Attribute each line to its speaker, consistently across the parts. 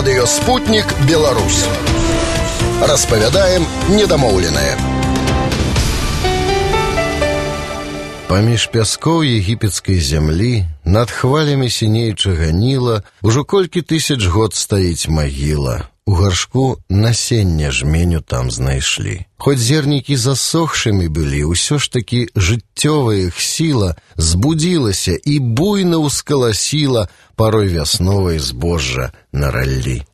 Speaker 1: Радыё «Спутнік Беларусь». Распавядаем недамоўленае.
Speaker 2: Паміж пяскоў егіпецкай зямлі, над хвалямі сінеючага Ніла, ужо колькі тысяч год стаіць магіла. У гаршку насенне жменю там знайшлі. Хоць зернікі засохшымі былі, усё ж такі жыццёвая іх сіла збудзілася і буйна ўскаласіла парой вясновай збожжа на раллі.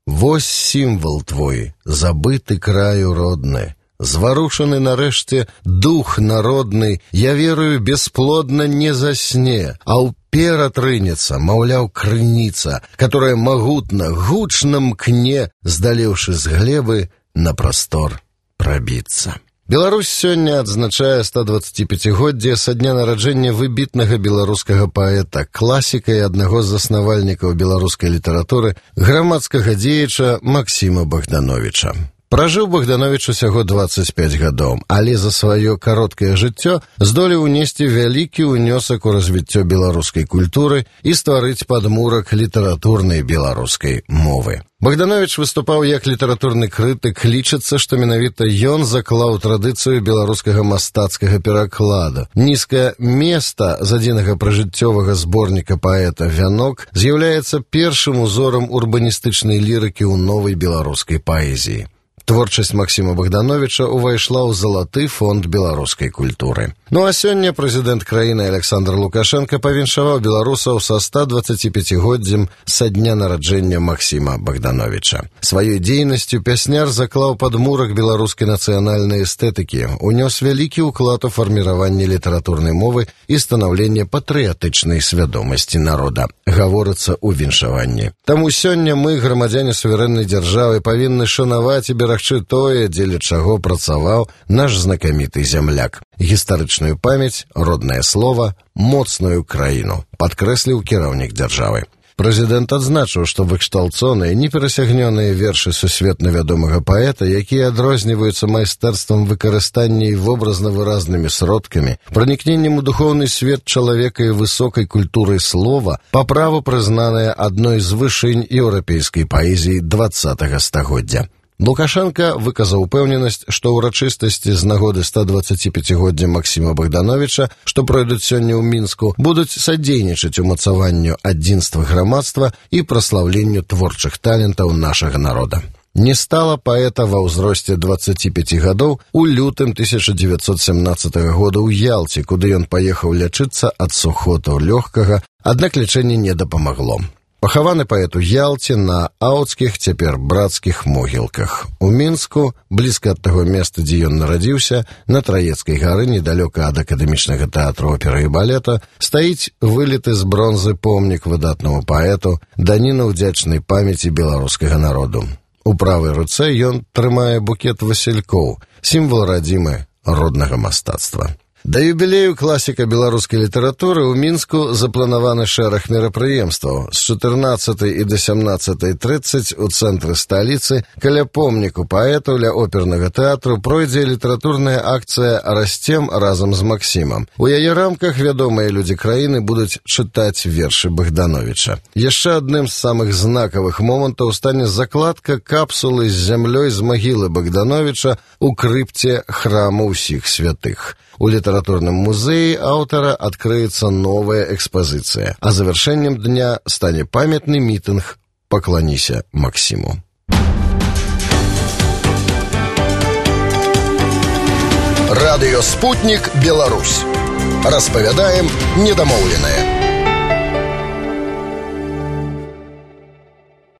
Speaker 2: Вось сімвал твой, забыты краю родны, зварушаны нарэшце дух народны, я верую, бесплодна не засне, а ўперад рынецца, маўляў, крыніца, которая магутна, гучна мкне, здалеўшы з глебы, на прастор прабіцца. Беларусь сёння адзначае 125годдзе са дня нараджэння выбітнага беларускага паэта, класіка і аднаго з заснавальнікаў беларускай літаратуры, грамадскага дзеяча Максіма Богдановича. Пражыў Богданович усяго 25 гадоў, але за сваё кароткае жыццё здолеў унесці вялікі ўнёсак у развіццё беларускай культуры і стварыць падмурак літаратурнай беларускай мовы. Богданович выступаў як літаратурны крытык, лічыцца, што менавіта ён заклаў традыцыю беларускага мастацкага перакладу. Нізкае места з адзінага пражыццёвага зборніка паэта «Вянок» з'яўляецца першым узорам урбаністычнай лірыкі ў новай беларускай паэзіі. Творчасць Максіма Богдановича увайшла ў залаты фонд беларускай культуры. Ну а сёння прэзідэнт краіны Александр Лукашенко павіншаваў беларусаў са 125годдзем са дня нараджэння Максіма Богдановича. Сваёй дзейнасцю пясняр заклаў падмурак беларускай нацыянальнай эстэтыкі, унёс вялікі ўклад у фарміраванне літаратурнай мовы і станаўленне патрыятычнай свядомасці народа, гаворыцца ў віншаванні. Таму сёння мы, грамадзяне суверэннай дзяржавы, павінны шанаваць і берагчы тое, дзеля чаго працаваў наш знакаміты зямляк. Гістарычную памяць, роднае слова, моцную краіну, падкрэсліў кіраўнік дзяржавы. Прэзідэнт адзначыў, што выкшталцоныя, неперасягнёныя вершы сусветна вядомага паэта, якія адрозніваюцца майстэрствам выкарыстання і вобразна-выразнымі сродкамі, пранікненнем у духоўны свет чалавека і высокай культурай слова, па праву прызнаныя адной з вышынь еўрапейскай паэзіі 20-го стагоддзя. Лукашенко выказаў упэўненасць, што ўрачыстасці з нагоды 125годдзя Максіма Богдановича, што пройдуць сёння ў Мінску, будуць садзейнічаць умацаванню адзінства грамадства і праслаўленню творчых талентаў нашага народа. Не стала паэта ва ўзросце 25 гадоў у лютым 1917 года ў Ялце, куды ён паехаў лячыцца ад сухотаў лёгкага, аднак лячэнне не дапамагло. Пахаваны паэт у Ялце на аўцкіх, цяпер брацкіх могілках. У Мінску, блізка ад таго места, дзе ён нарадзіўся, на Траецкай гары, недалёка ад акадэмічнага тэатру оперы і балета, стаіць выліты з бронзы помнік выдатнаму паэту, даніна ўдзячнай памяці беларускага народу. У правай руцэ ён трымае букет васількоў, сімвал радзімы роднага мастацтва. Да юбілею класіка беларускай літаратуры ў Мінску запланаваны шэраг мерапрыемстваў. З 14 і да 17:30 у цэнтры сталіцы каля помніку паэту ля опернага тэатру пройдзе літаратурная акцыя «Расцем разам з Максімам». У яе рамках вядомыя людзі краіны будуць чытаць вершы Богдановича. Яшчэ адным з самых знакавых момантаў стане закладка капсулы з зямлёй з магілы Богдановича ў крыпце храму ўсіх святых. У літаратурным музеі аўтара адкрыецца новая экспазіцыя, а завяршэннем дня стане памятны мітынг «Пакланіся Максіму».
Speaker 1: Радыё «Спутнік Беларусь». Распавядаем недамоўленае.